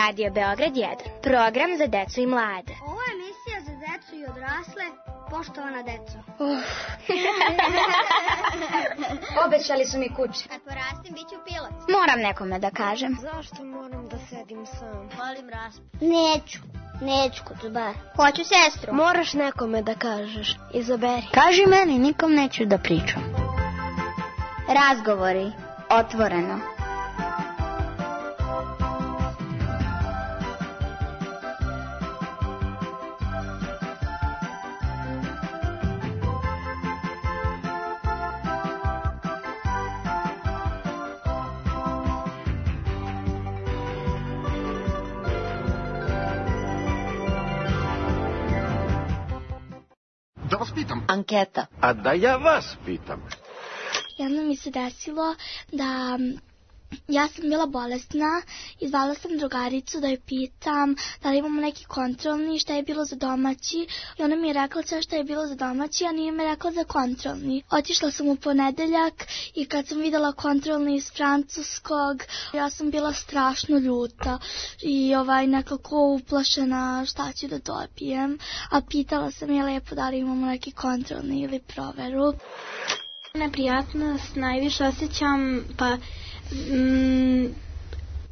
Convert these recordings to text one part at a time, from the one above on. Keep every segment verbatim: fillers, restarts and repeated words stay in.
Radio Beograd jedan, program za decu i mlade. Ovo je emisija za decu i odrasle, poštovana deco. Uf. Obećali su mi kuće. Kad porastim, bit ću pilot. Moram nekome da kažem. Zašto moram da sedim sam? Volim raspad. Neću, neću kod bar. Hoću sestru. Moraš nekome da kažeš. Izaberi. Kaži meni, nikom neću da pričam. Razgovori, otvoreno. Da vas pitam. Anketa. A da ja vas pitam. Jedno mi se desilo da ja sam bila bolesna i zvala sam drugaricu da joj pitam da li imamo neki kontrolni, šta je bilo za domaći, i ona mi je rekla sve šta je bilo za domaći, a nije mi rekla za kontrolni. Otišla sam u ponedeljak i kad sam videla kontrolni iz francuskog, ja sam bila strašno ljuta i ovaj nekako uplašena šta ću da dobijem, a pitala sam je lepo da li imamo neki kontrolni ili proveru. Neprijatnost najviše osjećam, pa mm,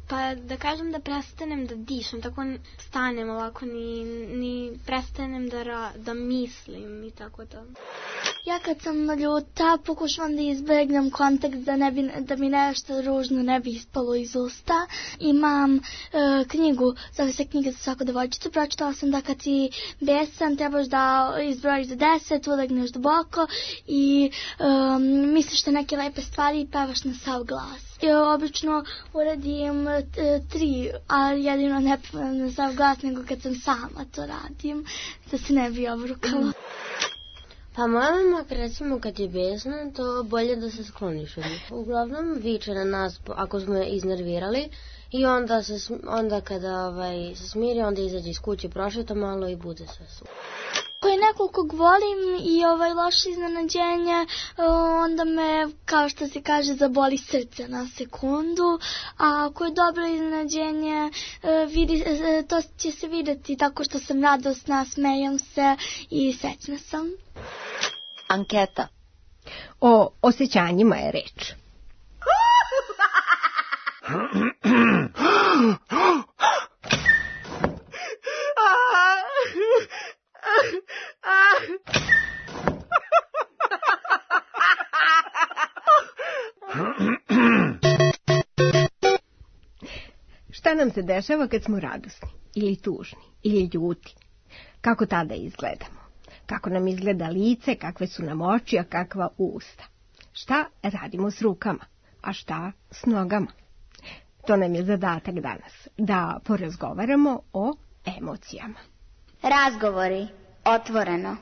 pa da kažem da prestanem da dišem, tako stanem ovako, ni, ni prestanem da, ra, da mislim i tako to. Ja kad sam ljuta pokušavam da izbegnem kontakt da, ne bi, da mi nešto ružno ne bi ispalo iz usta. Imam e, knjigu, zove se Knjiga za svaku devojčicu. Pročitala sam da kad si besan trebaš da izbrojiš za deset, ulegneš duboko i e, misliš te neke lepe stvari i pevaš na sav glas. Ja obično uradim e, tri, a jedino ne pevam na sav glas nego kad sam sama to radim, da se ne bi obrukala. Pa moja mama, recimo, kad je besna, to bolje da se skloniš od njih. Uglavnom viče na nas ako smo je iznervirali i onda, se, onda kada ovaj, se smiri, onda izađe iz kuće, prošeta malo i bude sve su. Ako je neko kog volim i ovaj loše iznenađenje, onda me, kao što se kaže, zaboli srce na sekundu, a ako je dobro iznenađenje, vidi, to će se vidjeti tako što sam radosna, smejem se i srećna sam. Anketa. O osjećanjima je reč. Šta nam se dešava kad smo radosni, ili tužni, ili ljuti? Kako tada izgledamo? Kako nam izgleda lice, kakve su nam oči, a kakva usta? Šta radimo s rukama, a šta s nogama? To nam je zadatak danas, da porazgovaramo o emocijama. Razgovori, otvoreno.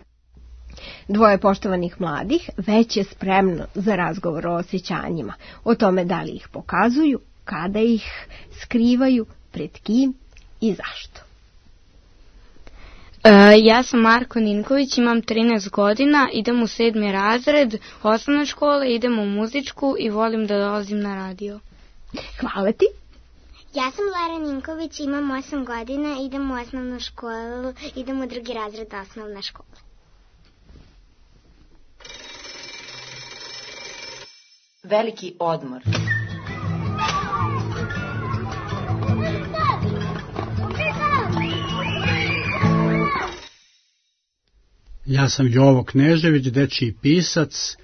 Dvoje poštovanih mladih već je spremno za razgovor o osjećanjima, o tome da li ih pokazuju, kada ih skrivaju, pred kim i zašto. E, ja sam Marko Ninković, imam trinaest godina, idem u sedmi razred osnovne škole, idem u muzičku i volim da dolazim na radio. Hvala ti. Ja sam Lara Ninković, imam osam godina, idem u osnovnu školu, idem u drugi razred osnovne škole. Veliki odmor. Ja sam Jovo Knežević, dečiji pisac,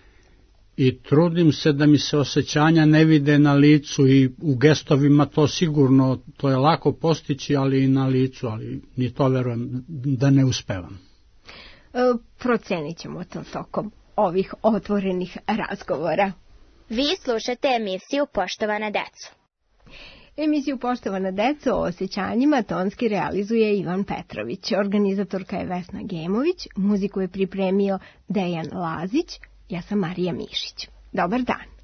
i trudim se da mi se osjećanja ne vide na licu i u gestovima, to sigurno, to je lako postići, ali i na licu, ali ni to verujem da ne uspevam. E, procenit ćemo to tokom ovih otvorenih razgovora. Vi slušate emisiju Poštovana deco. Emisiju Poštovana deco o osjećanjima tonski realizuje Ivan Petrović. Organizatorka je Vesna Gemović, muziku je pripremio Dejan Lazić, ja sam Marija Mišić. Dobar dan.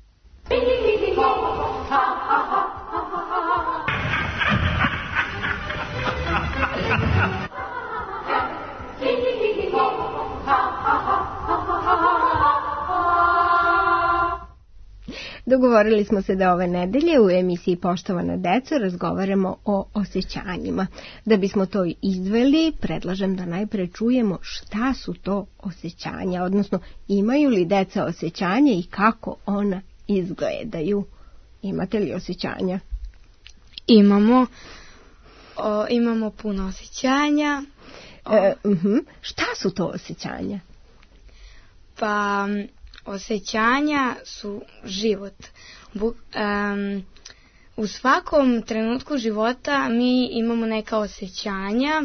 Dogovorili smo se da ove nedelje u emisiji Poštovana deco razgovaramo o osjećanjima. Da bismo to izveli, predlažem da najpre čujemo šta su to osjećanja, odnosno imaju li deca osjećanje i kako ona izgledaju. Imate li osjećanja? Imamo. O, imamo puno osjećanja. O, e, uh-huh. Šta su to osjećanja? Pa, osjećanja su život. Bu, um, u svakom trenutku života mi imamo neka osjećanja.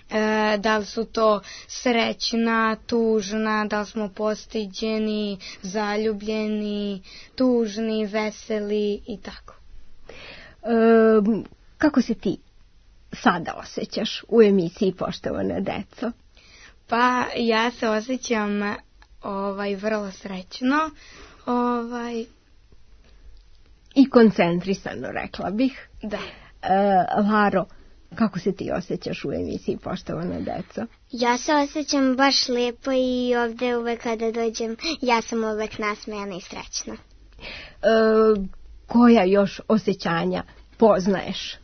E, da li su to srećna, tužna, da li smo postiđeni, zaljubljeni, tužni, veseli i tako. E, kako se ti sada osjećaš u emisiji Poštovana deco? Pa ja se osjećam ovaj vrlo srećno, ovaj i koncentrisano, rekla bih. Da. E, Laro, kako se ti osjećaš u emisiji Poštovana deco? Ja se osjećam baš lijepo i ovdje uvek kada dođem, ja sam uvek nasmejana i srećna. E, koja još osjećanja poznaješ?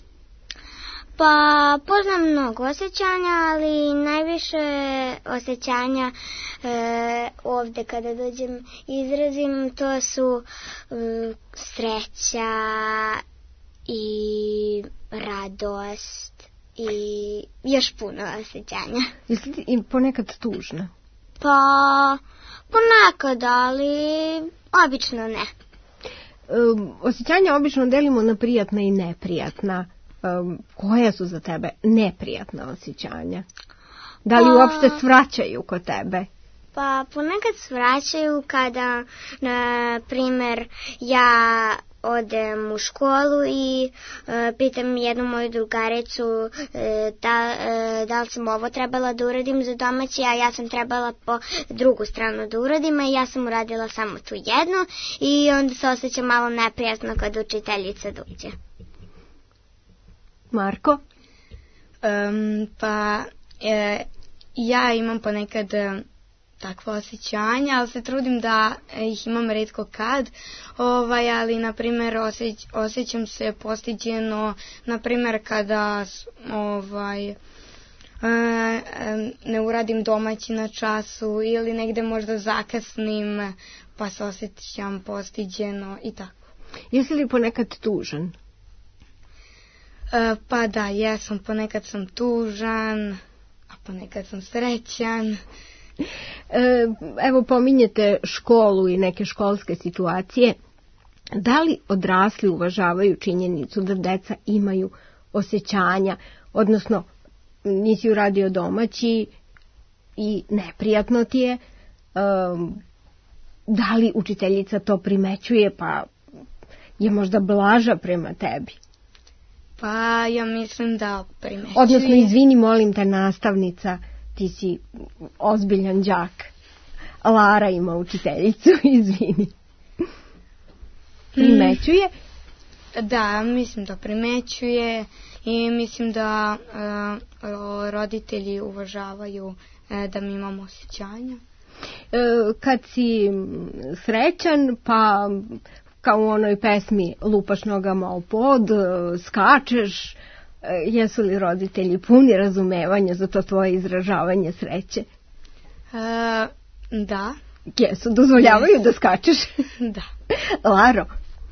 Pa poznam mnogo osjećanja, ali najviše osjećanja e, ovdje kada dođem izrazim, to su e, sreća i radost i još puno osjećanja. Jesi ti ponekad tužna? Pa ponekad, ali obično ne. E, osjećanja obično delimo na prijatna i neprijatna. Um, koja su za tebe neprijatna osjećanja? Da li pa, uopšte svraćaju kod tebe? Pa ponekad svraćaju kada, na primjer, ja odem u školu i e, pitam jednu moju drugaricu e, da, e, da li sam ovo trebala da uradim za domaći, a ja sam trebala po drugu stranu da uradim, a ja sam uradila samo tu jednu i onda se osjećam malo neprijatno kad učiteljica dođe. Marko? Um, pa e, ja imam ponekad e, takva osjećanja, ali se trudim da ih imam retko kad, ovaj, ali na primjer osjeć, osjećam se postiđeno, na primjer kada ovaj, e, ne uradim domaći na času ili negde možda zakasnim, pa se osjećam postiđeno i tako. Jesi li ponekad tužan? E, pa da, jesam, ponekad sam tužan, a ponekad sam srećan. E, evo pominjete školu i neke školske situacije. Da li odrasli uvažavaju činjenicu da deca imaju osjećanja, odnosno nisi uradio domaći i neprijatno ti je, e, da li učiteljica to primećuje pa je možda blaža prema tebi? Pa ja mislim da primećuje. Odnosno, izvini, molim te, nastavnica, ti si ozbiljan đak. Lara ima učiteljicu, izvini. Primećuje? Da, mislim da primećuje i mislim da uh, roditelji uvažavaju uh, da mi imamo osjećanja. E, kad si srećan, pa kao u onoj pesmi lupaš nogama o pod, skačeš, jesu li roditelji puni razumevanja za to tvoje izražavanje sreće? E, da. Jesu, dozvoljavaju yes. da skačeš? Da. Laro,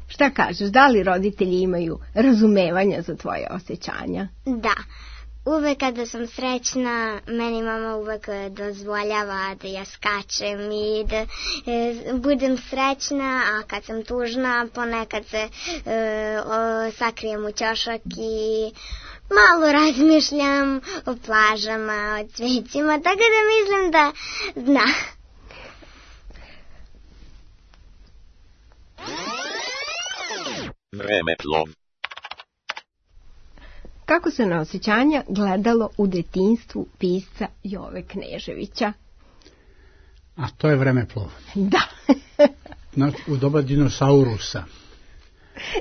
šta kažeš, da li roditelji imaju razumevanja za tvoje osjećanja? Da. Uvek kada sam srećna, meni mama uvek dozvoljava da ja skačem i da e, budem srećna, a kad sam tužna, ponekad se e, o, sakrijem u ćošak i malo razmišljam o plažama, o cvećima, tako da mislim da zna. Vremeplov. Kako se na osjećanja gledalo u detinjstvu pisca Jove Kneževića? A to je vremeplov. Da. Na, u doba dinosaurusa.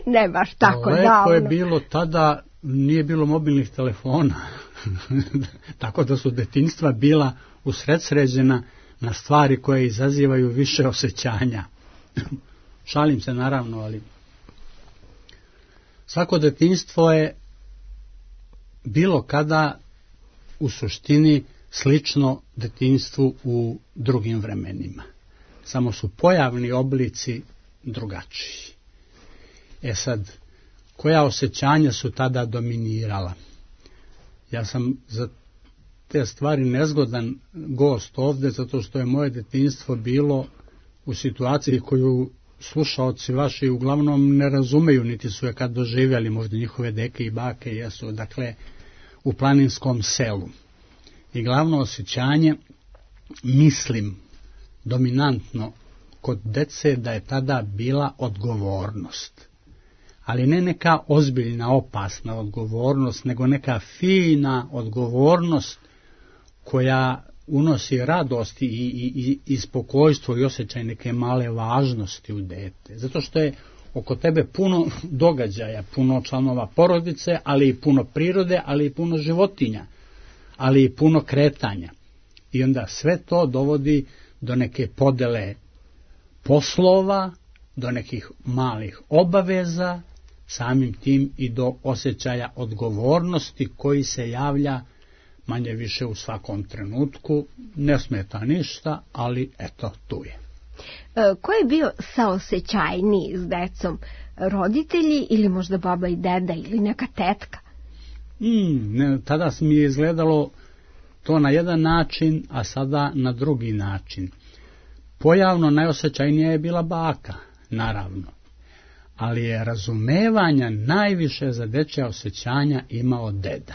Ne baš tako Lepo davno. je bilo tada, nije bilo mobilnih telefona. Tako da su detinjstva bila usredsređena na stvari koje izazivaju više osjećanja. Šalim se naravno, ali svako detinjstvo je bilo kada u suštini slično detinjstvu u drugim vremenima. Samo su pojavni oblici drugačiji. E sad, koja osjećanja su tada dominirala? Ja sam za te stvari nezgodan gost ovdje, zato što je moje detinjstvo bilo u situaciji koju slušaoci vaši uglavnom ne razumeju, niti su je kad doživjeli, možda njihove deke i bake jesu, dakle, u planinskom selu. I glavno osjećanje, mislim, dominantno kod dece da je tada bila odgovornost. Ali ne neka ozbiljna, opasna odgovornost, nego neka fina odgovornost koja unosi radost i, i, i spokojstvo i osjećaj neke male važnosti u dete. Zato što je oko tebe puno događaja, puno članova porodice, ali i puno prirode, ali i puno životinja, ali i puno kretanja. I onda sve to dovodi do neke podele poslova, do nekih malih obaveza, samim tim i do osjećaja odgovornosti koji se javlja manje više u svakom trenutku. Ne smeta ništa, ali eto, tu je. E, ko je bio saosećajniji s decom? Roditelji ili možda baba i deda ili neka tetka? Mm, ne, tada mi je izgledalo to na jedan način, a sada na drugi način. Pojavno najosjećajnija je bila baka, naravno. Ali je razumevanja najviše za dečja osjećanja imao deda.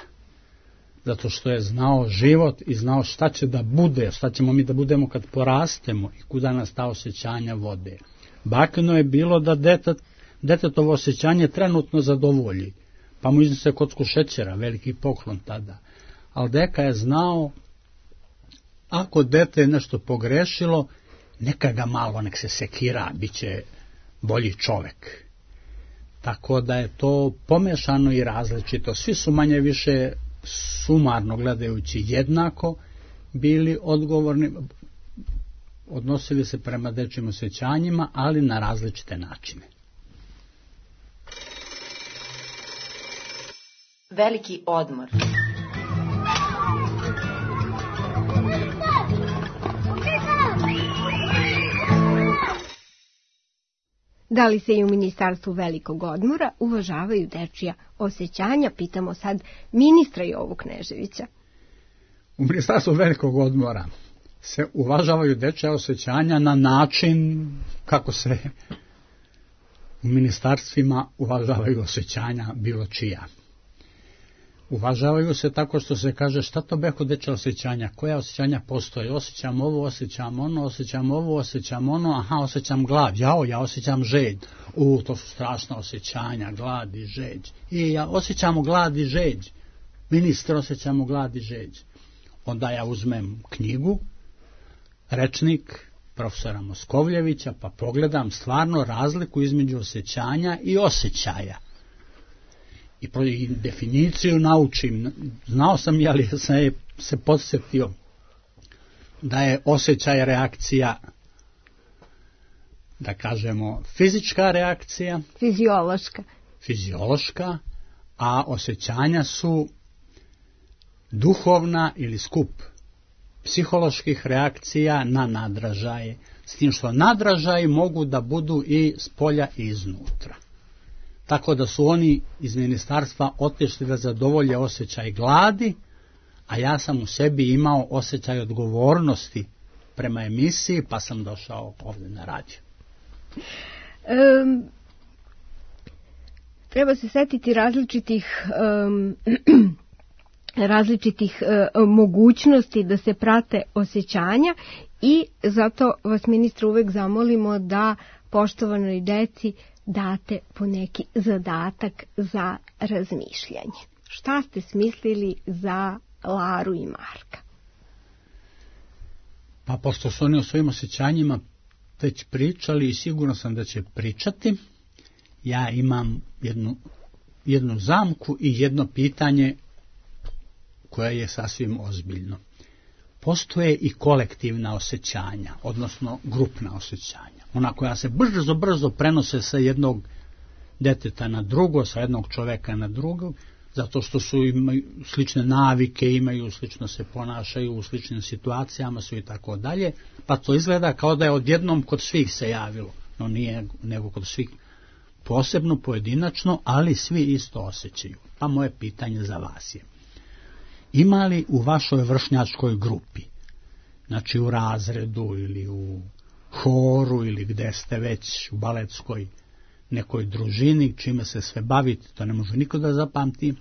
Zato što je znao život i znao šta će da bude, šta ćemo mi da budemo kad porastemo i kuda nas ta osjećanja vode. Bakino je bilo da detet, detetovo osjećanje trenutno zadovolji, pa mu iznose kocku šećera, veliki poklon tada. Ali deka je znao, ako dete je nešto pogrešilo, neka ga malo, nek se sekira, bit će bolji čovek. Tako da je to pomešano i različito. Svi su manje više sumarno gledajući jednako bili odgovorni, odnosili se prema dečjim osjećanjima, ali na različite načine. Veliki odmor. Da li se i u Ministarstvu velikog odmora uvažavaju dečija osjećanja, pitamo sad ministra Jovu Kneževića. U Ministarstvu velikog odmora se uvažavaju dečija osjećanja na način kako se u ministarstvima uvažavaju osjećanja bilo čija. Uvažavaju se tako što se kaže šta to beko dečja osjećanja, koja osjećanja postoje, osjećam ovo, osjećam ono, osjećam ovo, osjećam ono, aha, osjećam glad, jao, ja osjećam žeđ, u, to su strašna osjećanja, glad i žeđ, i ja osjećamo glad i žeđ, ministre, osjećamo glad i žeđ. Onda ja uzmem knjigu, rečnik profesora Moskovljevića, pa pogledam stvarno razliku između osjećanja i osjećaja. I definiciju naučim. Znao sam, ali sam je se podsjetio da je osjećaj reakcija, da kažemo, fizička reakcija. Fiziološka. Fiziološka, a osjećanja su duhovna ili skup psiholoških reakcija na nadražaje. S tim što nadražaji mogu da budu i s polja i iznutra. Tako da su oni iz ministarstva otišli da zadovolje osjećaj gladi, a ja sam u sebi imao osjećaj odgovornosti prema emisiji, pa sam došao ovdje na radio. Um, treba se setiti različitih um, različitih uh, mogućnosti da se prate osjećanja i zato vas, ministre, uvek zamolimo da poštovanoj deci date po neki zadatak za razmišljanje. Šta ste smislili za Laru i Marka? Pa pošto su oni o svojim osjećanjima već pričali i sigurno sam da će pričati, ja imam jednu, jednu zamku i jedno pitanje koje je sasvim ozbiljno. Postoje i kolektivna osjećanja, odnosno grupna osjećanja. ona koja se brzo, brzo prenose sa jednog deteta na drugo, sa jednog čoveka na drugog, zato što su imaju slične navike, imaju slično se ponašaju u sličnim situacijama su i tako dalje, pa to izgleda kao da je odjednom kod svih se javilo, no nije nego kod svih posebno, pojedinačno, ali svi isto osjećaju. Pa moje pitanje za vas je: ima li u vašoj vršnjačkoj grupi, znači u razredu ili u horu ili gde ste već u baletskoj nekoj družini, čime se sve bavite, to ne može niko da zapamti,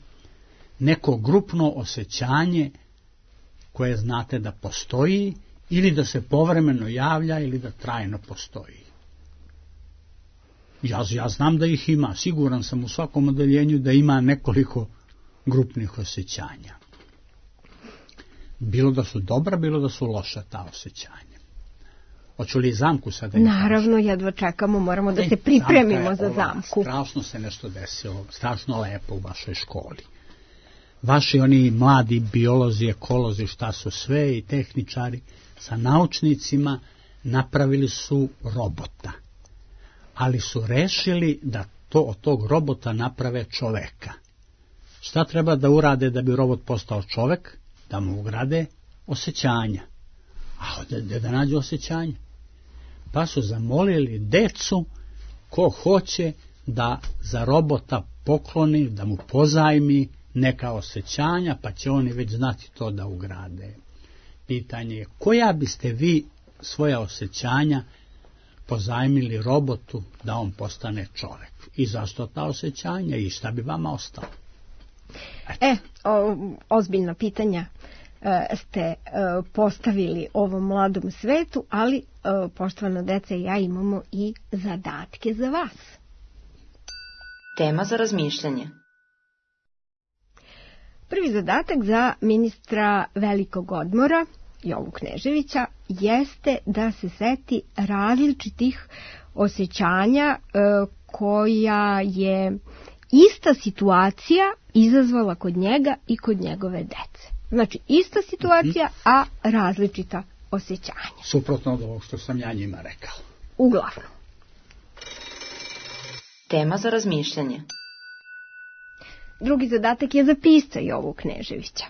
neko grupno osjećanje koje znate da postoji ili da se povremeno javlja ili da trajno postoji? Ja, ja znam da ih ima, siguran sam u svakom odeljenju da ima nekoliko grupnih osjećanja. Bilo da su dobra, bilo da su loša ta osjećanja. Hoću li zamku sada? Naravno, jedva čekamo, moramo da se pripremimo za zamku. Strašno se nešto desilo, strašno lepo u vašoj školi. Vaši oni mladi biolozi, ekolozi, šta su sve, i tehničari, sa naučnicima napravili su robota. Ali su rešili da to od tog robota naprave čoveka. Šta treba da urade da bi robot postao čovek? Da mu ugrade osjećanja. A gde da nađu osjećanja? Pa su zamolili decu ko hoće da za robota pokloni, da mu pozajmi neka osjećanja, pa će oni već znati to da ugrade. Pitanje je: koja biste vi svoja osjećanja pozajmili robotu da on postane čovek? I zašto ta osjećanja i šta bi vama ostalo? Eto. E, o, ozbiljna pitanja e, ste e, postavili ovom mladom svetu, ali e, poštovana deca i ja imamo i zadatke za vas. Tema za razmišljanje. Prvi zadatak za ministra velikog odmora, Jovu Kneževića, jeste da se seti različitih osjećanja e, koja je ista situacija izazvala kod njega i kod njegove dece. Znači, ista situacija, a različita osjećanja. Suprotno od ovog što sam ja njima rekao. Uglavnom. Tema za razmišljanje. Drugi zadatak je za pisca Jovu Kneževića.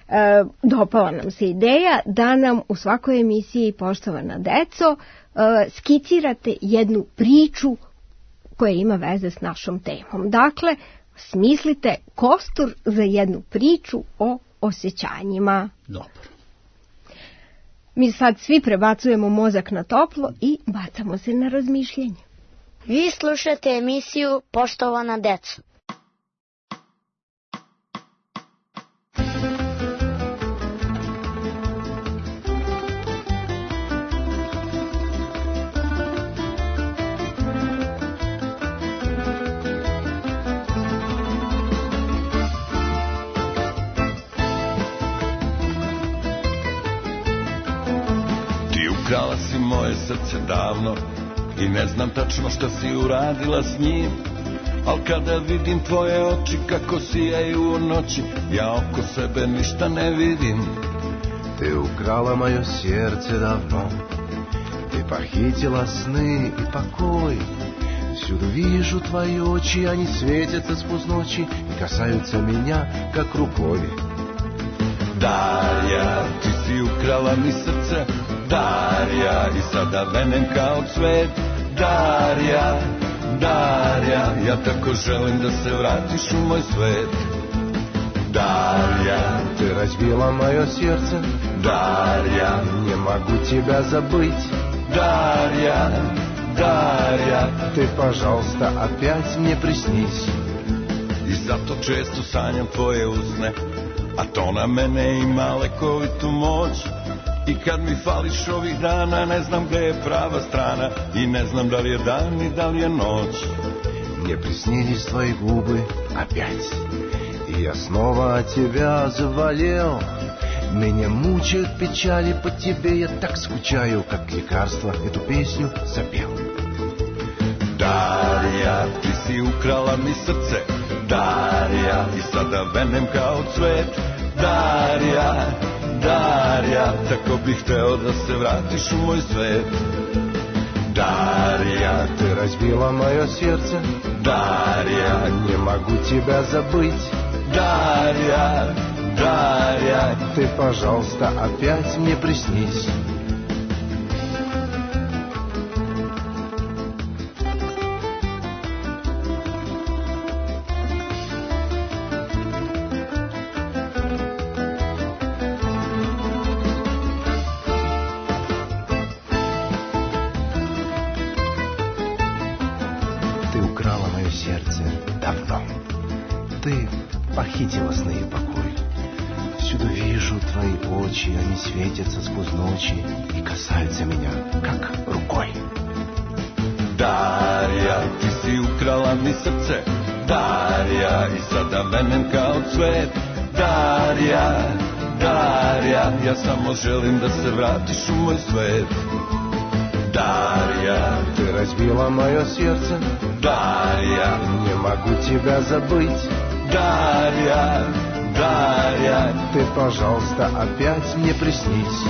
E, dopala nam se ideja da nam u svakoj emisiji, poštovana deco, e, skicirate jednu priču koja ima veze s našom temom. Dakle, smislite kostur za jednu priču o osjećanjima. Dobro. Mi sad svi prebacujemo mozak na toplo i bacamo se na razmišljanje. Vi slušate emisiju Poštovana deco. Ukrala si moje srce davno i ne znam tačno šta si uradila s njim, al kada vidim tvoje oči kako sijaju u noći, ja oko sebe ništa ne vidim. Ты украла мое сердце давно, ты похитила сны и покой. Всюду вижу твои очи, они светятся сквозь ночи и касаются меня, как рукой. Darja, ti si ukrala mi srce, Darja, i sada venem kao cvet. Darja, Darja, ja tako želim da se vratiš u moj svet. Darja, ты разбила мое сердце, Darja, не могу тебя забыть. Darja, Darja, ты, пожалуйста, опять мне приснись. I zato često sanjam tvoje usne, a to na mene ima lekovitu moć. I kad mi fališ ovih dana, ne znam gde je prava strana, i ne znam da li je dan i da li je noć. Мне приснились твои губы опять, и я снова от тебя заболел. Меня мучают печали по тебе, я так скучаю, как лекарство эту песню запел. Darja, ti si ukrala mi srce, Darja, i sada venem kao cvet. Darja, Darja, tako bih hteo da se vratiš u moj svet. Дарья, ты разбила мое сердце. Дарья, не могу тебя забыть. Дарья, Дарья, ты, пожалуйста, опять мне приснись. Похитила сны и покой. Всюду вижу твои очи, они светятся сквозь ночи и касаются меня, как рукой. Darja, ti si ukrala mi srce. Darja, i sada menem kao cvet. Darja, Darja, ja samo želim da se vratiš u moj svet. Дарья, ты разбила мое сердце. Дарья, не могу тебя забыть. Дарья, Дарья, ты, пожалуйста, опять мне приснись.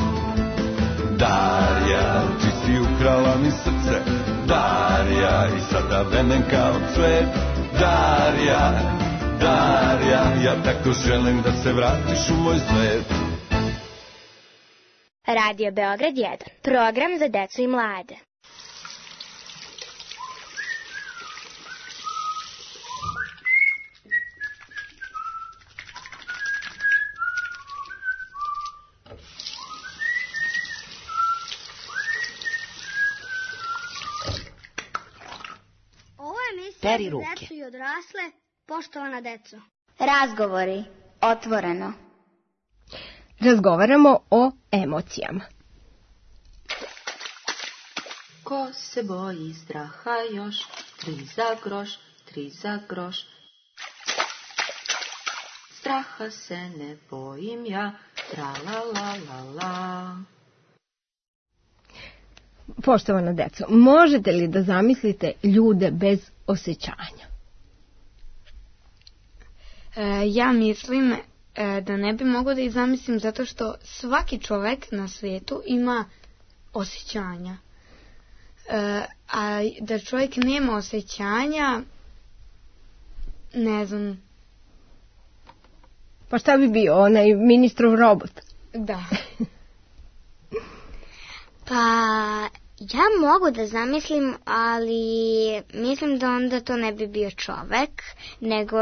Darja, ti si ukrala mi srce. Darja, i sada venem kao cvet. Darja, Darja, ja tako želim da se vratiš u moj svet. Radio Beograd jedan, program za decu i mlade. Peri ruke. Decu i odrasle, poštovana deco. Razgovori, otvoreno. Razgovaramo o emocijama. Ko se boji straha još, tri za groš, tri za groš. Straha se ne bojim ja, tra la la la la. Poštovana deco, možete li da zamislite ljude bez osjećanja? E, ja mislim e, da ne bi mogla da ih zamislim zato što svaki čovek na svijetu ima osjećanja. E, a da čovjek nema osjećanja, ne znam. Pa šta bi bio, onaj ministrov robot? Da. Pa ja mogu da zamislim, ali mislim da onda to ne bi bio čovek, nego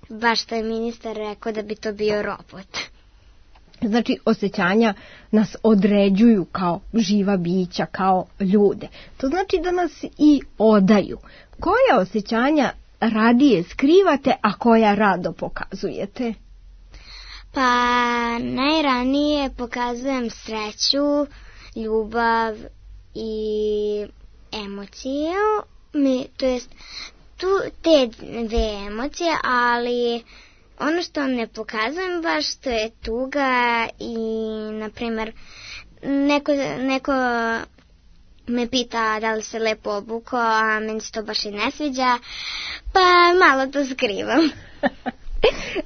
baš što je ministar rekao da bi to bio robot. Znači, osjećanja nas određuju kao živa bića, kao ljude. To znači da nas i odaju. Koja osjećanja radije skrivate, a koja rado pokazujete? Pa najranije pokazujem sreću, ljubav i emociju, mi, to jest tu te dve emocije, ali ono što ne pokazujem baš to je tuga i, na primjer, neko, neko me pita da li se lepo obuko, a meni se to baš i ne sviđa, pa malo to skrivam.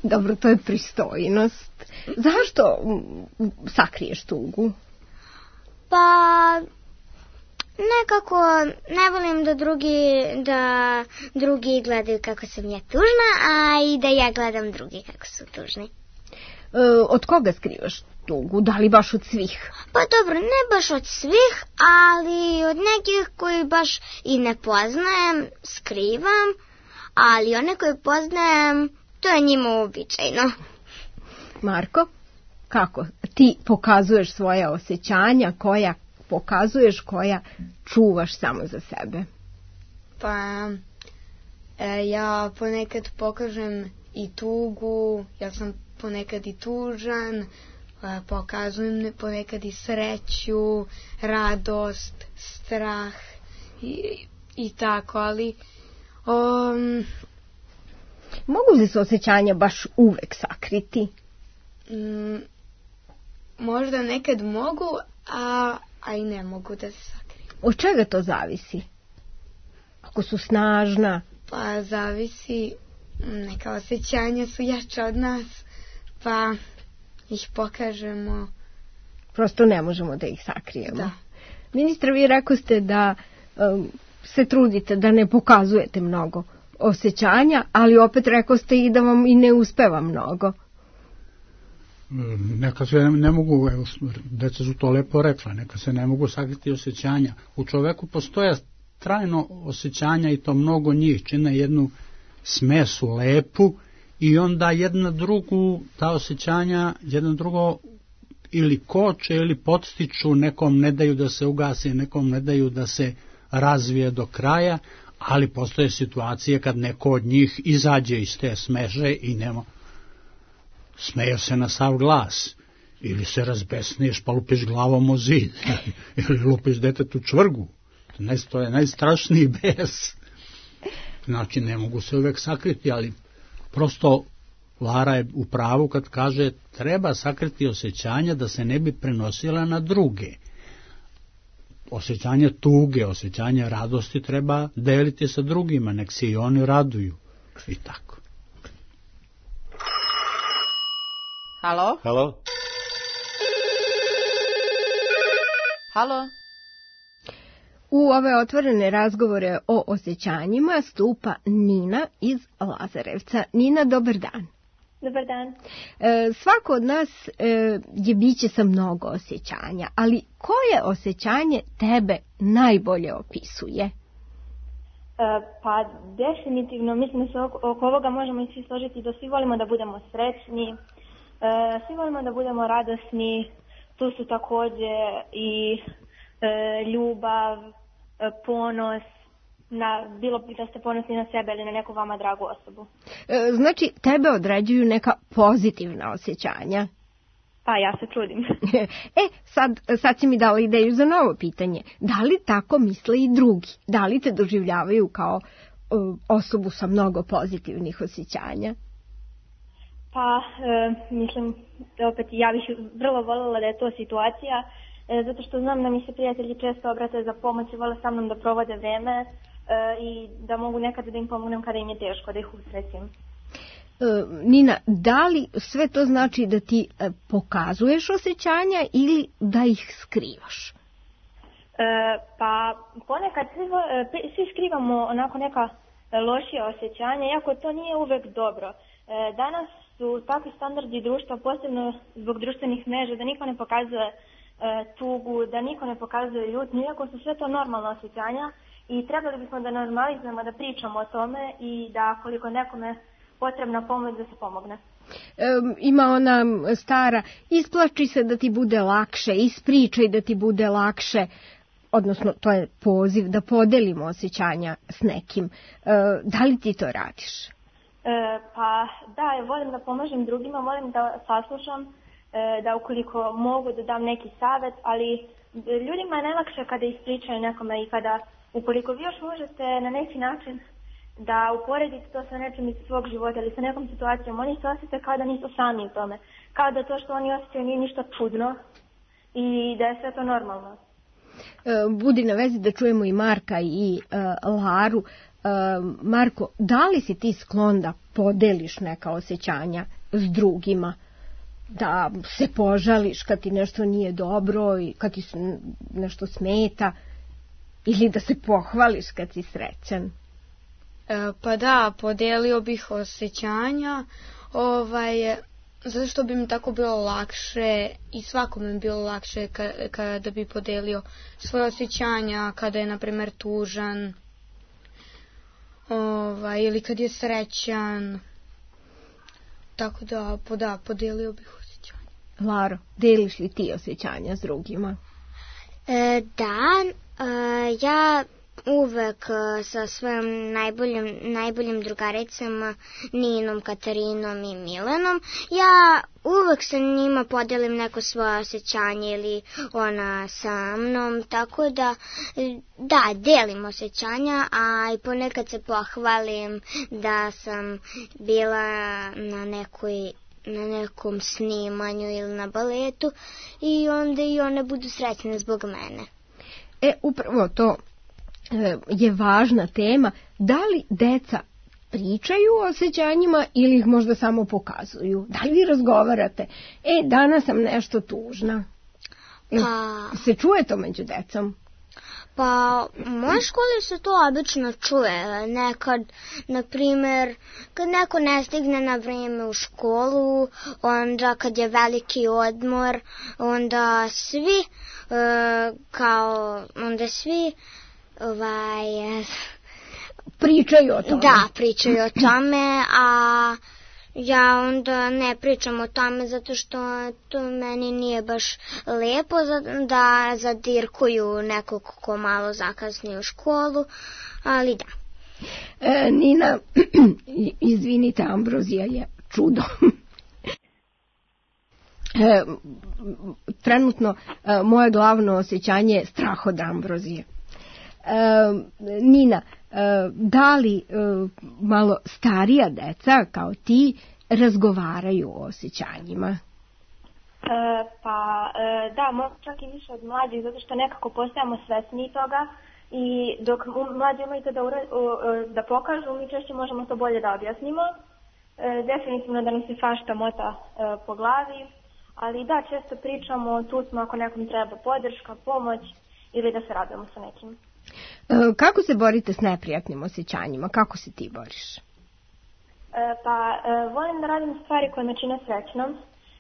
Dobro, to je pristojnost. Zašto sakriješ tugu? Pa nekako ne volim da drugi, da drugi gledaju kako sam ja tužna, a i da ja gledam drugi kako su tužni. E, od koga skrivaš tugu? Da li baš od svih? Pa dobro, ne baš od svih, ali od nekih koji baš i ne poznajem skrivam, ali one koje poznajem, to je njima uobičajeno. Marko, kako ti pokazuješ svoje osjećanja, koja pokazuješ, koja čuvaš samo za sebe? Pa e, ja ponekad pokažem i tugu, ja sam ponekad i tužan, e, pokazujem ponekad i sreću, radost, strah i, i tako, ali um, mogu li se osjećanja baš uvek sakriti? Mm, možda nekad mogu, a, a i ne mogu da se sakriju. Od čega to zavisi? Ako su snažna? Pa zavisi, neka osjećanja su jača od nas, pa ih pokažemo. Prosto ne možemo da ih sakrijemo. Da. Ministre, vi rekao ste da se trudite da ne pokazujete mnogo osjećanja, ali opet rekao ste i da vam i ne uspeva mnogo. Neka se ne mogu, deca su to lepo rekla, neka se ne mogu sakriti osjećanja. U čoveku postoje trajno osjećanja i to mnogo njih, čine jednu smesu lepu i onda jedna drugu, ta osjećanja, jedna drugo ili koče ili podstiču, nekom ne daju da se ugasi, nekom ne daju da se razvije do kraja, ali postoje situacije kad neko od njih izađe iz te smeže i nema, smeje se na sav glas, ili se razbesniješ pa lupiš glavom o zid, ili lupiš detetu čvrgu. To je najstrašniji bes. Znači, ne mogu se uvek sakriti, ali prosto Lara je u pravu kad kaže treba sakriti osjećanja da se ne bi prenosila na druge. Osjećanje tuge, osjećanje radosti treba deliti sa drugima, nek se i oni raduju. I tako. Halo? Halo? Halo? U ove otvorene razgovore o osjećanjima stupa Nina iz Lazarevca. Nina, dobar dan. Dobar dan. E, svako od nas e, je biće sa mnogo osjećanja, ali koje osjećanje tebe najbolje opisuje? E, pa definitivno, mislim da se oko, oko ovoga možemo i svi složiti da svi volimo da budemo srećni, e, svi volimo da budemo radosni, tu su također i e, ljubav, e, ponos, na, bilo da ste ponosni na sebe ili na neku vama dragu osobu. E, znači, tebe određuju neka pozitivna osjećanja? Pa, ja se trudim. E, sad, sad si mi dala ideju za novo pitanje. Da li tako misle i drugi? Da li te doživljavaju kao uh, osobu sa mnogo pozitivnih osjećanja? Pa, e, mislim, opet, ja bih vrlo voljela da je to situacija, e, zato što znam da mi se prijatelji često obrate za pomoć i vole sa mnom da provode vreme e, i da mogu nekada da im pomognem kada im je teško, da ih usrećim. E, Nina, da li sve to znači da ti e, pokazuješ osjećanja ili da ih skrivaš? E, pa, ponekad svi, svi skrivamo onako neka lošija osjećanja, iako to nije uvek dobro. E, danas su takvi standardi društva, posebno zbog društvenih mreža, da niko ne pokazuje e, tugu, da niko ne pokazuje ljutnju, iako su sve to normalna osjećanja i trebali bismo da normalizujemo, da pričamo o tome i da koliko nekome potrebna pomoć da se pomogne. E, ima ona stara, isplači se da ti bude lakše, ispričaj da ti bude lakše, odnosno to je poziv da podelimo osjećanja s nekim. E, da li ti to radiš? E, pa da, volim da pomažem drugima, volim da saslušam, e, da ukoliko mogu da dam neki savjet, ali ljudima je najlakše kada ispričaju nekome i kada, ukoliko vi još možete na neki način da uporedite to sa nečim iz svog života ili sa nekom situacijom, oni se osjete kao da nisu sami u tome, kao da to što oni osjećaju nije ništa čudno i da je sve to normalno. Budi na vezi da čujemo i Marka i uh, Laru. Uh, Marko, da li si ti sklon da podeliš neka osjećanja s drugima? Da se požališ kad ti nešto nije dobro i kad ti nešto smeta? Ili da se pohvališ kad si srećan? E, pa da, podelio bih osjećanja, ovaj... zato što bi mi tako bilo lakše i svakome bi bilo lakše kada bi podelio svoje osjećanja, kada je, na primjer, tužan, ovaj, ili kad je srećan. Tako da, po, da, podelio bih osjećanja. Laro, deliš li ti osjećanja s drugima? E, da, e, ja... uvek sa svojim najboljim, najboljim drugaricama Ninom, Katarinom i Milenom. Ja uvek sa njima podelim neko svoje osjećanje ili ona sa mnom, tako da da, delim osjećanja, a i ponekad se pohvalim da sam bila na nekoj na nekom snimanju ili na baletu i onda i one budu srećne zbog mene. E, upravo to je važna tema. Da li deca pričaju o osjećanjima ili ih možda samo pokazuju? Da li vi razgovarate? E, danas sam nešto tužna. Pa... Se čuje to među decom? Pa u mojoj školi se to obično čuje. Nekad, na primjer, kad neko ne stigne na vrijeme u školu, onda kad je veliki odmor, onda svi, uh, kao, onda svi, ovaj... Pričaju o tome. Da, pričaju o tome, a ja onda ne pričam o tome zato što to meni nije baš lepo da zadirkuju nekog ko malo zakasni u školu, ali da. E, Nina, izvinite, Ambrozija je čudo. E, trenutno e, moje glavno osjećanje je strah od Ambrozije. E, Nina, da li malo starija deca kao ti razgovaraju o osjećanjima? E, pa e, da, možda čak i više od mlađih, zato što nekako postajamo svesni toga i dok mlađi imaju to da, ura, da pokažu, mi češće možemo to bolje da objasnimo. E, definitivno da nam se svašta mota e, po glavi, ali da, često pričamo, tu smo ako nekom treba podrška, pomoć ili da se radujemo sa nekim. Kako se borite s neprijatnim osjećanjima? Kako se ti boriš? E, pa, e, volim da radim stvari koje me čine srećnom.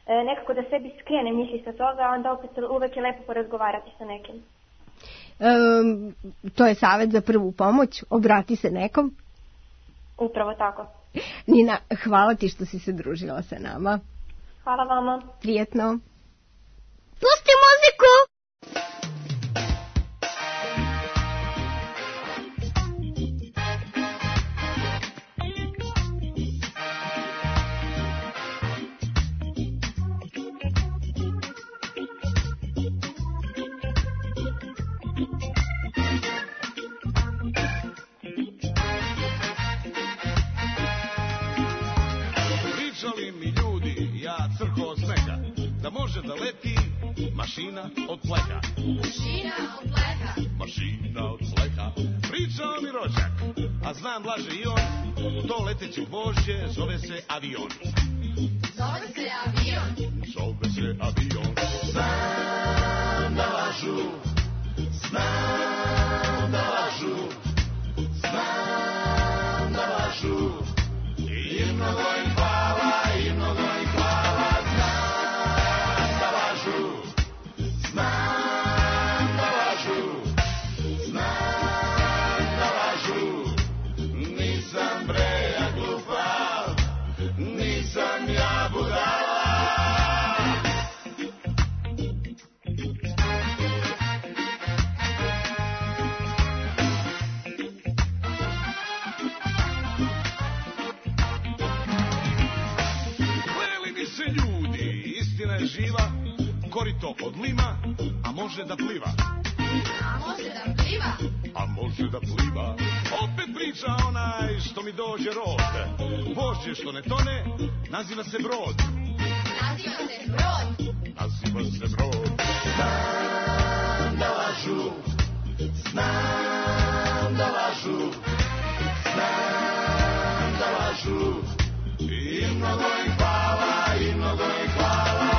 E, nekako da sebi skrene misli sa toga, onda opet uvek je lepo porazgovarati sa nekim. E, to je savjet za prvu pomoć. Obrati se nekom. Upravo tako. Nina, hvala ti što si se družila sa nama. Hvala vama. Prijetno. Pusti muziku! Može da leti mašina od pleha. Mašina od pleha. Mašina od pleha. Pričao mi rođak, a znam laže i on, to leteće gvožđe zove se avion. Zove se avion. Zove se avion. Znam da lažu, znam da lažu, znam da lažu. I mnogo im hvala, i mnogo im hvala. Živa, korito od lima, a može da pliva. A može da pliva. A može da pliva. Opet priča onaj što mi dođe rod. Vožđe što ne tone, naziva se brod. Naziva se brod. Naziva se brod. Znam da lažu, znam da lažu, znam da lažu. I mnogo im hvala, i mnogo im hvala.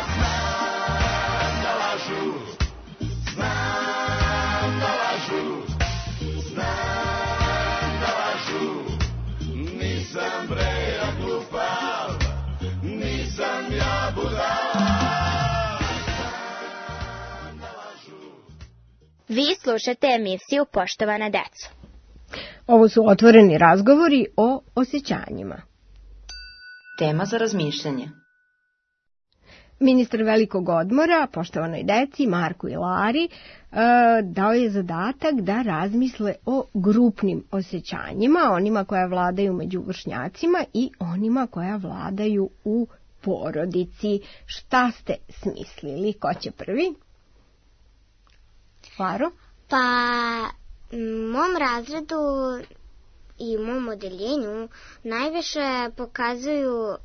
Znam da lažu, znam da lažu, nisam bre ja glupav, nisam ja budala. Vi slušate emisiju Poštovana deco. Ovo su otvoreni razgovori o osjećanjima. Tema za razmišljanje. Ministar velikog odmora, poštovanoj deci, Marku i Lari, dao je zadatak da razmisle o grupnim osjećanjima, onima koja vladaju među vršnjacima i onima koja vladaju u porodici. Šta ste smislili? Ko će prvi? Laro? Pa, u mom razredu i u mom odeljenju najviše pokazuju uh,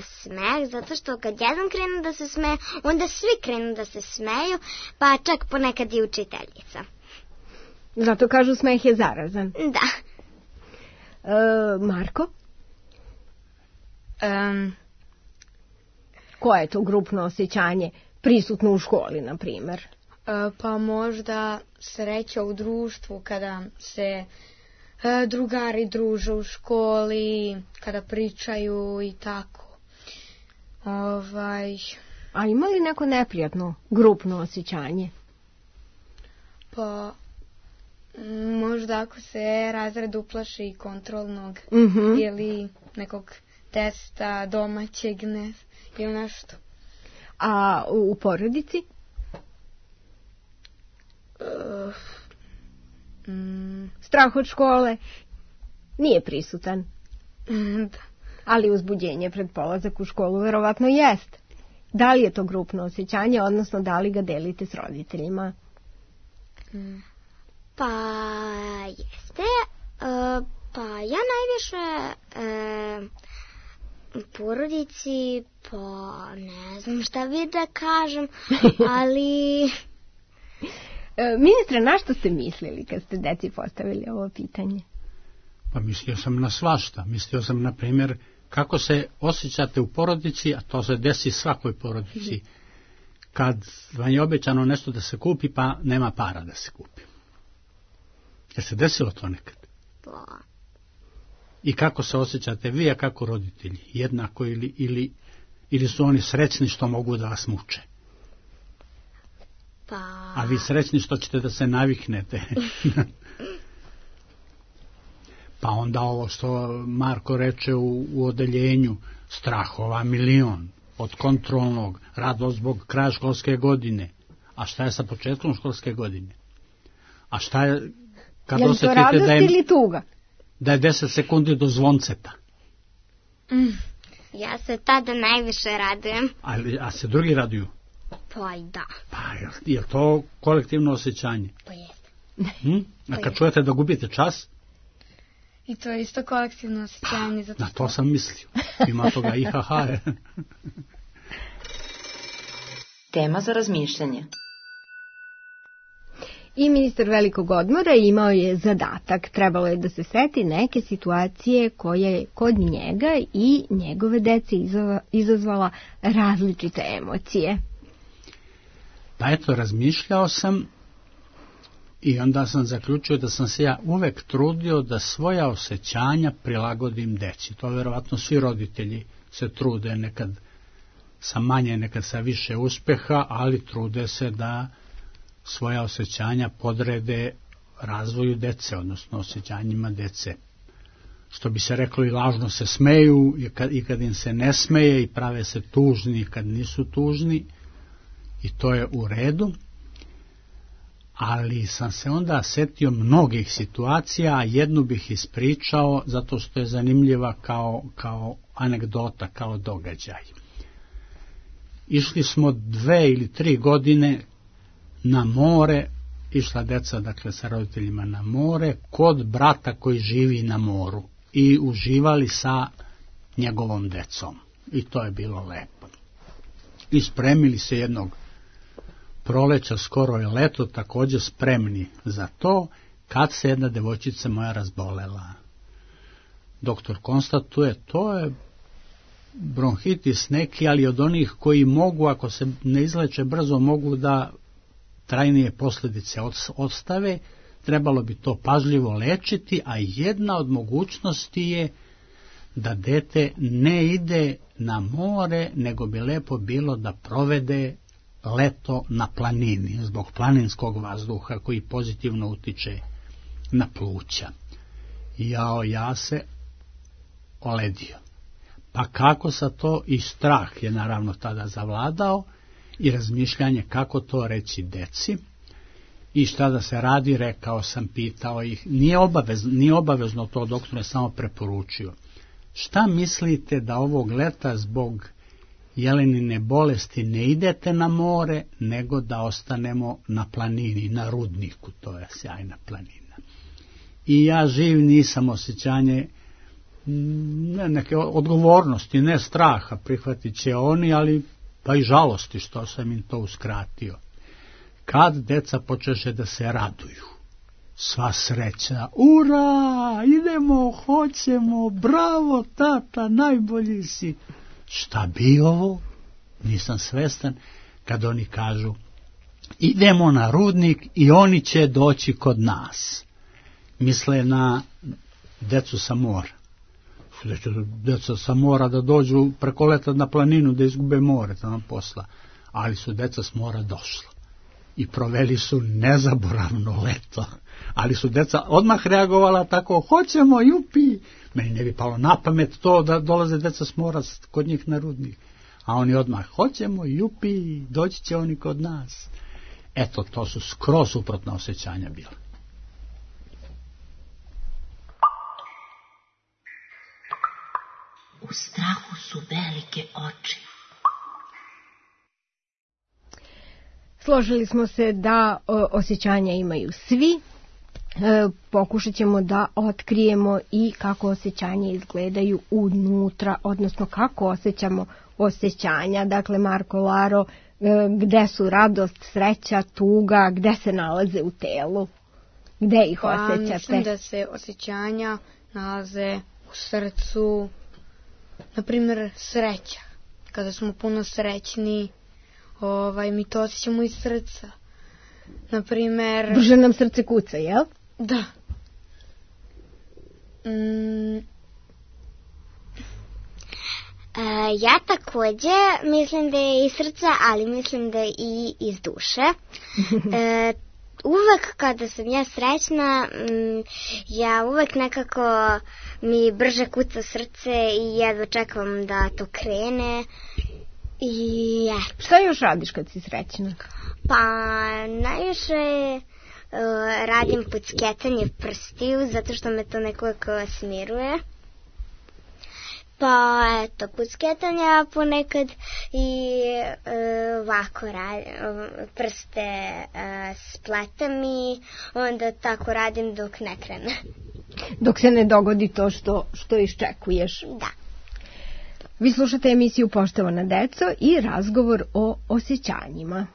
smeh, zato što kad jedan krenu da se smeje, onda svi krenu da se smeju, pa čak ponekad i učiteljica. Zato kažu smeh je zarazan. Da. Uh, Marko? Um, Koje je to grupno osjećanje prisutno u školi, na primjer? Uh, pa možda sreća u društvu kada se drugari druže u školi, kada pričaju i tako. Ovaj... A ima li neko neprijatno, grupno osjećanje? Pa, možda ako se razred uplaši kontrolnog mm-hmm. ili nekog testa domaćeg ne, ili nešto. A u porodici? Uh, mm, Strah od škole nije prisutan. Da. Ali uzbuđenje pred polazak u školu verovatno jest. Da li je to grupno osjećanje, odnosno da li ga delite s roditeljima? Mm. Pa jeste. E, pa ja najviše e, u porodici, pa ne znam šta bi da kažem, ali... E, ministre, na što ste mislili kad ste deci postavili ovo pitanje? Pa mislio sam na svašta. Mislio sam, na primjer, kako se osjećate u porodici, a to se desi svakoj porodici, kad vam je obećano nešto da se kupi, pa nema para da se kupi. Je se desilo to nekad? Pa. I kako se osjećate vi, a kako roditelji? Jednako ili, ili, ili su oni srećni što mogu da vas muče? Pa. A vi srećni što ćete da se naviknete? Pa onda ovo što Marko reče u, u odeljenju, strahova milion, od kontrolnog, radost zbog kraja školske godine. A šta je sa početkom školske godine? A šta je kad osjetite da je, ili tuga? Da je deset sekundi do zvonceta? Mm, ja se tada najviše radujem. Ali, a se drugi raduju? Pa i da. Pa je, je to kolektivno osjećanje? Pa jeste. Hm? A kad čujete da gubite čas? I to je isto kolektivno osjećanje. Pa, na to sam mislio. Ima toga i haha. Tema za razmišljanje. I ministar velikog odmora imao je zadatak. Trebalo je da se seti neke situacije koje je kod njega i njegove dece izazvala različite emocije. Pa eto, razmišljao sam i onda sam zaključio da sam se ja uvek trudio da svoja osjećanja prilagodim deci. To vjerovatno svi roditelji se trude, nekad sa manje, nekad sa više uspeha, ali trude se da svoja osjećanja podrede razvoju dece, odnosno osjećanjima dece. Što bi se reklo, i lažno se smeju i kad, i kad im se ne smeje, i prave se tužni kad nisu tužni, i to je u redu. Ali sam se onda setio mnogih situacija, a jednu bih ispričao zato što je zanimljiva kao, kao anegdota, kao događaj. Išli smo dve ili tri godine na more, išla deca, dakle, sa roditeljima na more, kod brata koji živi na moru, i uživali sa njegovom decom. I to je bilo lepo. I spremili se jednog proleća, skoro je leto, također spremni za to, kad se jedna devojčica moja razbolela. Doktor konstatuje, to je bronhitis neki, ali od onih koji mogu, ako se ne izleče brzo, mogu da trajnije posljedice ostave. Trebalo bi to pažljivo lečiti, a jedna od mogućnosti je da dete ne ide na more, nego bi lepo bilo da provede leto na planini, zbog planinskog vazduha koji pozitivno utiče na pluća. Jao, ja se oledio. Pa kako sa to, i strah je naravno tada zavladao, i razmišljanje kako to reći deci, i šta da se radi, rekao sam, pitao ih, nije obavezno, nije obavezno to, doktor je samo preporučio. Šta mislite da ovog leta zbog jelenine bolesti ne idete na more, nego da ostanemo na planini, na Rudniku, to je sjajna planina. I ja živ nisam osjećanje ne, neke odgovornosti, ne straha, prihvatit će oni, ali pa i žalosti što sam im to uskratio. Kad deca počeše da se raduju, sva sreća, ura, idemo, hoćemo, bravo tata, najbolji si. Šta bi ovo? Nisam svestan kad oni kažu, idemo na rudnik i oni će doći kod nas. Misle na decu sa mora. Da će deca sa mora da dođu preko leta na planinu da izgube more tamo posla. Ali su deca s mora došla i proveli su nezaboravno leto. Ali su deca odmah reagovala tako, hoćemo, jupi. Meni ne bi palo na pamet to da dolaze deca s mora kod njih na rudnik. A oni odmah, hoćemo, jupi, doći će oni kod nas. Eto, to su skroz suprotna osjećanja bila. U strahu su velike oči. Složili smo se da o, osjećanja imaju svi. E, pokušat ćemo da otkrijemo i kako osjećanja izgledaju unutra, odnosno kako osjećamo osjećanja. Dakle, Marko, Laro, e, gde su radost, sreća, tuga, gde se nalaze u telu? Gde ih osjećate? Pa, mislim da se osjećanja nalaze u srcu, na primjer sreća. Kada smo puno srećni, ovaj, mi to osjećamo iz srca. Na primjer... Brže nam srce kuca, jel? Da. Mm. E, ja takođe mislim da je iz srca, ali mislim da je i iz duše. E, uvek kada sam ja srećna, m, ja uvek nekako mi brže kuca srce i jedva čekam da to krene. I eto. Šta još radiš kad si srećna? Pa najviše uh, radim pucketanje prstiju, zato što me to nekako smiruje. Pa eto, pucketanja ponekad i uh, ovako radim, prste uh, spletam i onda tako radim dok ne krene. Dok se ne dogodi to što, što iščekuješ. Da. Vi slušate emisiju Poštovana deco i razgovor o osjećanjima.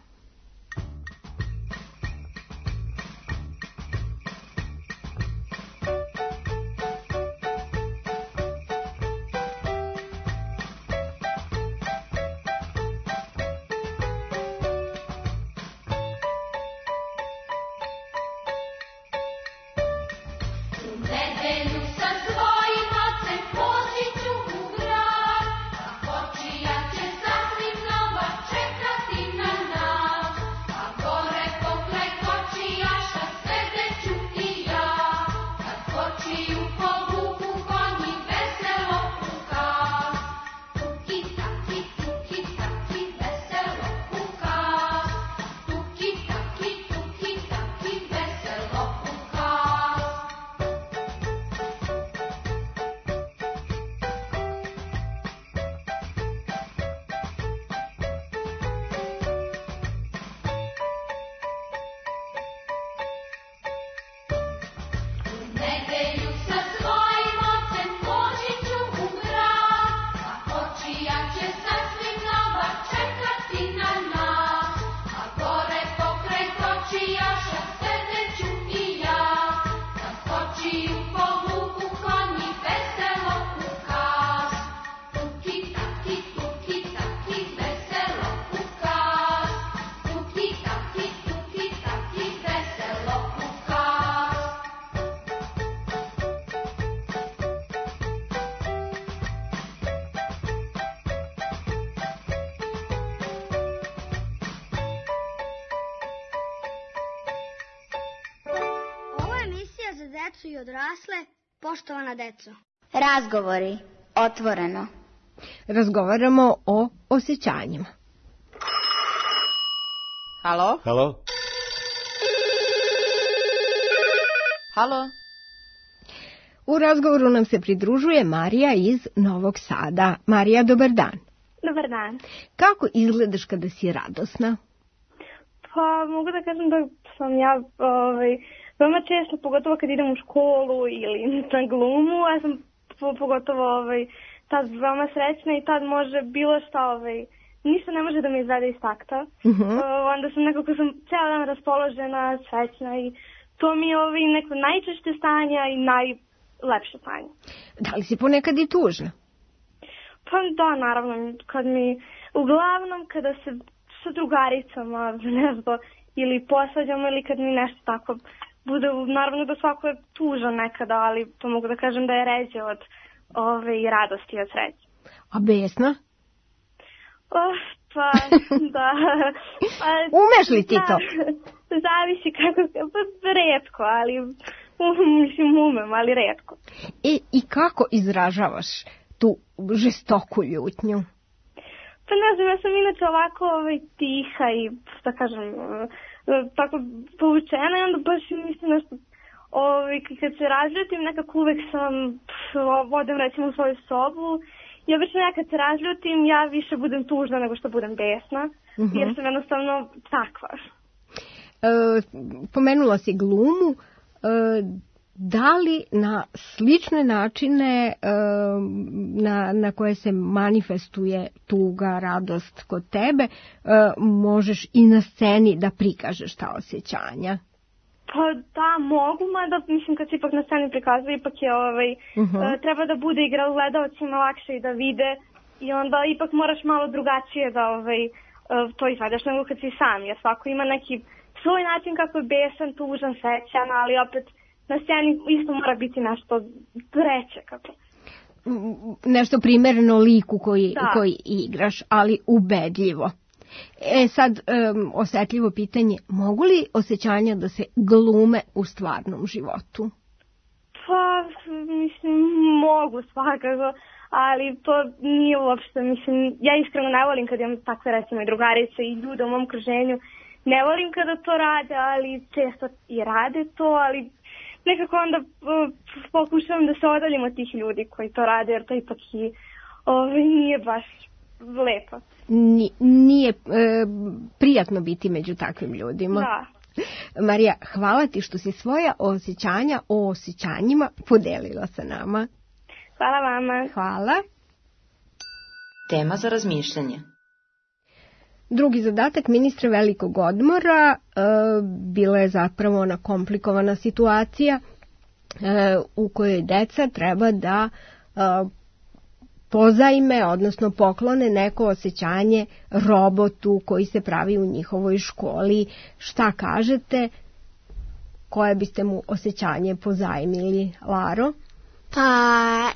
Decu i odrasle, poštovana deco. Razgovori, otvoreno. Razgovaramo o osjećanjima. Halo? Halo? Halo? U razgovoru nam se pridružuje Marija iz Novog Sada. Marija, dobar dan. Dobar dan. Kako izgledaš kada si radosna? Pa mogu da kažem da sam ja ovaj, veoma često, pogotovo kad idem u školu ili na glumu, ja sam pogotovo ovaj, tad veoma srećna i tad može bilo šta, ovaj, ništa ne može da me izvede iz takta. Uh-huh. Uh, onda sam nekako sam cijel dan raspoložena, srećna i to mi je ovaj, neko najčešće stanje i najlepše stanje. Da li si ponekad i tužna? Pa da, naravno, kad mi, uglavnom kada se sa drugaricama, ne znam, ili posvađamo ili kad mi nešto tako bude, naravno da svako je tužan nekada, ali to mogu da kažem da je ređe od ove i radosti i od sreće. A besna? Oh, pa, da. Pa, umeš li ti to? Da, zavisi kako, pa retko, ali mislim umem, ali retko. I, i kako izražavaš tu žestoku ljutnju? Pa ne znam, ja sam inače ovako ovaj, tiha i, da kažem, tako povučena i onda baš mislim nešto, ovaj, kad se razljutim, nekako uvek sam, odem recimo u svoju sobu i obično ja kad se razljutim, ja više budem tužna nego što budem besna, uh-huh. jer sam jednostavno takva. E, pomenula si glumu, e, da li na slične načine e, na, na koje se manifestuje tuga, radost kod tebe, e, možeš i na sceni da prikažeš ta osjećanja? Pa da, mogu, mada mislim kad se ipak na sceni prikazuje, ipak je ovaj, uh-huh. e, treba da bude igra gledalcima lakše i da vide i onda ipak moraš malo drugačije da ovaj, e, to izvedeš nego kad si sam, jer svako ima neki svoj način kako je besan, tužan, srećan, ali opet na sceni isto mora biti nešto treće. Kako. Nešto primereno liku koji, koji igraš, ali ubedljivo. E sad, um, osetljivo pitanje, mogu li osjećanja da se glume u stvarnom životu? Pa, mislim, mogu svakako, ali to nije uopšte, mislim, ja iskreno ne volim kad imam takve recimo i drugarice i ljude u mom okruženju, ne volim kada to rade, ali često i rade to, ali nekako onda uh, pokušavam da se odaljim od tih ljudi koji to rade, jer to ipak i ovaj, nije baš lepo. Ni, nije e, prijatno biti među takvim ljudima. Da. Marija, hvala ti što si svoja osjećanja o osjećanjima podelila sa nama. Hvala vama. Hvala. Tema za razmišljanje. Drugi zadatak ministra velikog odmora e, bila je zapravo ona komplikovana situacija e, u kojoj deca treba da e, pozajme, odnosno poklone neko osjećanje robotu koji se pravi u njihovoj školi. Šta kažete? Koje biste mu osjećanje pozajmili, Laro? Pa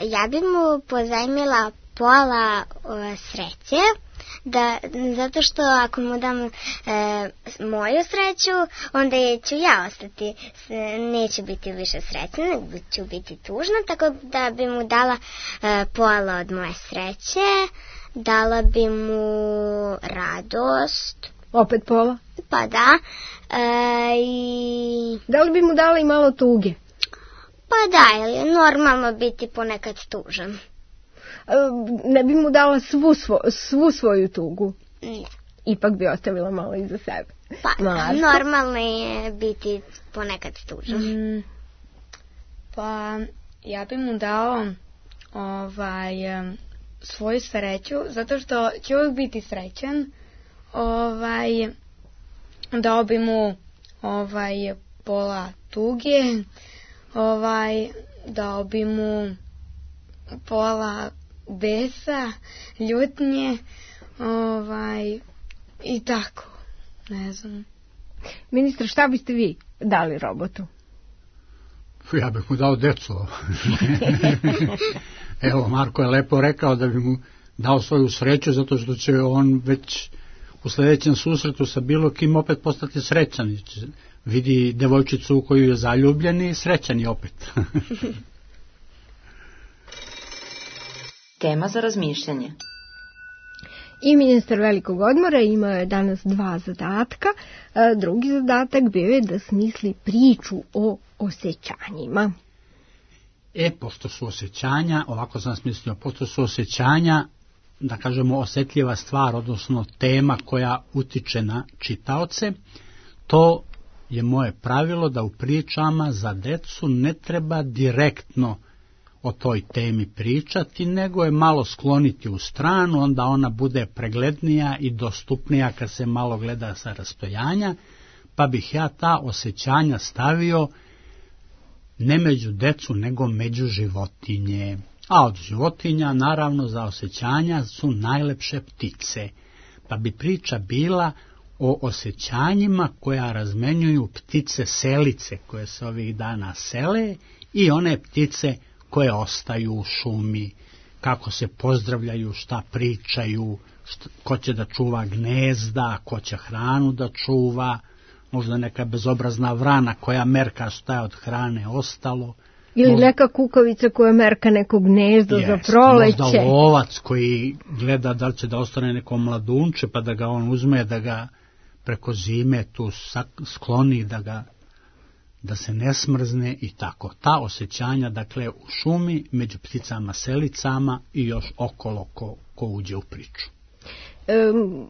ja bi mu pozajmila pola o, sreće, da, zato što ako mu dam e, moju sreću, onda ću ja ostati, neću biti više srećna, nego ću biti tužna, tako da bi mu dala e, pola od moje sreće, dala bi mu radost. Opet pola? Pa da. E, i... Da li bi mu dala i malo tuge? Pa da, jer je normalno biti ponekad tužan. Ne bi mu dala svu, svo, svu svoju tugu? Ne. Ipak bi ostavila malo iza sebe. Pa Marko? Normalno je biti ponekad tužan. Mm, pa ja bi mu dao ovaj, svoju sreću, zato što će uvijek biti srećan. Ovaj, dao bi mu ovaj, pola tuge, ovaj, dao bi mu pola besa, ljutnje, ovaj, i tako, ne znam. Ministre, šta biste vi dali robotu? Ja bih mu dao decu. Evo, Marko je lepo rekao da bi mu dao svoju sreću, zato što će on već u sljedećem susretu sa bilo kim opet postati srećan. Vidi devojčicu u koju je zaljubljen i srećan je opet. Tema za razmišljanje. I ministar velikog odmora imao je danas dva zadatka. Drugi zadatak bio je da smisli priču o osjećanjima. E, pošto su osjećanja, ovako sam smislio, pošto su osjećanja, da kažemo, osjetljiva stvar, odnosno tema koja utiče na čitaoce, to je moje pravilo da u pričama za decu ne treba direktno o toj temi pričati, nego je malo skloniti u stranu, onda ona bude preglednija i dostupnija kad se malo gleda sa rastojanja, pa bih ja ta osjećanja stavio ne među decu, nego među životinje. A od životinja, naravno, za osjećanja su najlepše ptice, pa bi priča bila o osjećanjima koja razmenjuju ptice selice koje se ovih dana sele i one ptice koje ostaju u šumi, kako se pozdravljaju, šta pričaju, šta, ko će da čuva gnezda, ko će hranu da čuva, možda neka bezobrazna vrana koja merka šta je od hrane ostalo. Ili neka kukavica koja merka neko gnezdo Jest, za proleće. Možda lovac koji gleda da li će da ostane neko mladunče pa da ga on uzme, da ga preko zime tu skloni, da ga da se ne smrzne i tako. Ta osjećanja, dakle, u šumi, među pticama selicama i još okolo ko, ko uđe u priču. Um,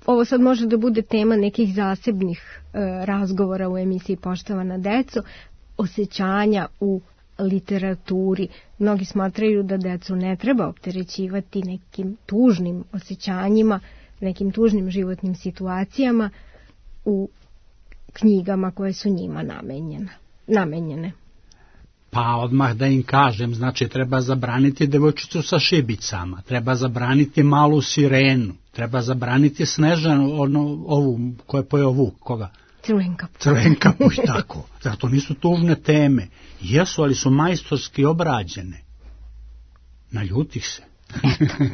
ovo sad može da bude tema nekih zasebnih uh, razgovora u emisiji Poštovana deco, osjećanja u literaturi. Mnogi smatraju da decu ne treba opterećivati nekim tužnim osjećanjima, nekim tužnim životnim situacijama u knjigama koje su njima namenjene. namenjene. Pa odmah da im kažem, znači treba zabraniti devojčicu sa šibicama, treba zabraniti malu sirenu, treba zabraniti Snežanu, ono, ovu, ko je pojeo Vuk, koga? Crvenkapu. Crvenkapu i tako. Zato nisu tužne teme. Jesu, ali su majstorski obrađene. Naljutih se.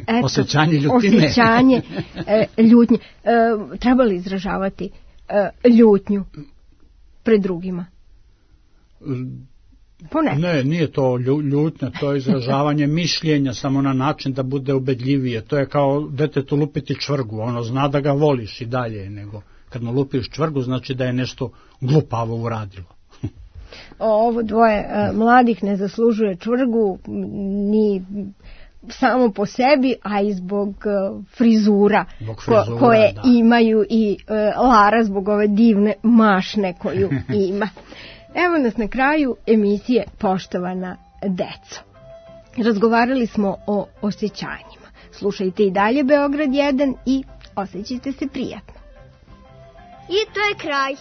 Eto, osjećanje ljutine. Osjećanje e, ljutnje. E, treba li izražavati e, ljutnju pred drugima? Pa ne. Ne, nije to ljutnja, to je izražavanje mišljenja samo na način da bude ubedljivije. To je kao detetu lupiti čvrgu, ono zna da ga voliš i dalje, nego kad mu lupiš čvrgu znači da je nešto glupavo uradilo. Ovo dvoje e, mladih ne zaslužuje čvrgu ni samo po sebi, a i zbog uh, frizura, zbog frizura ko, koje da. imaju i uh, Lara zbog ove divne mašne koju ima. Evo nas na kraju emisije Poštovana deco. Razgovarali smo o osjećanjima. Slušajte i dalje Beograd jedan i osjećajte se prijatno. I to je kraj.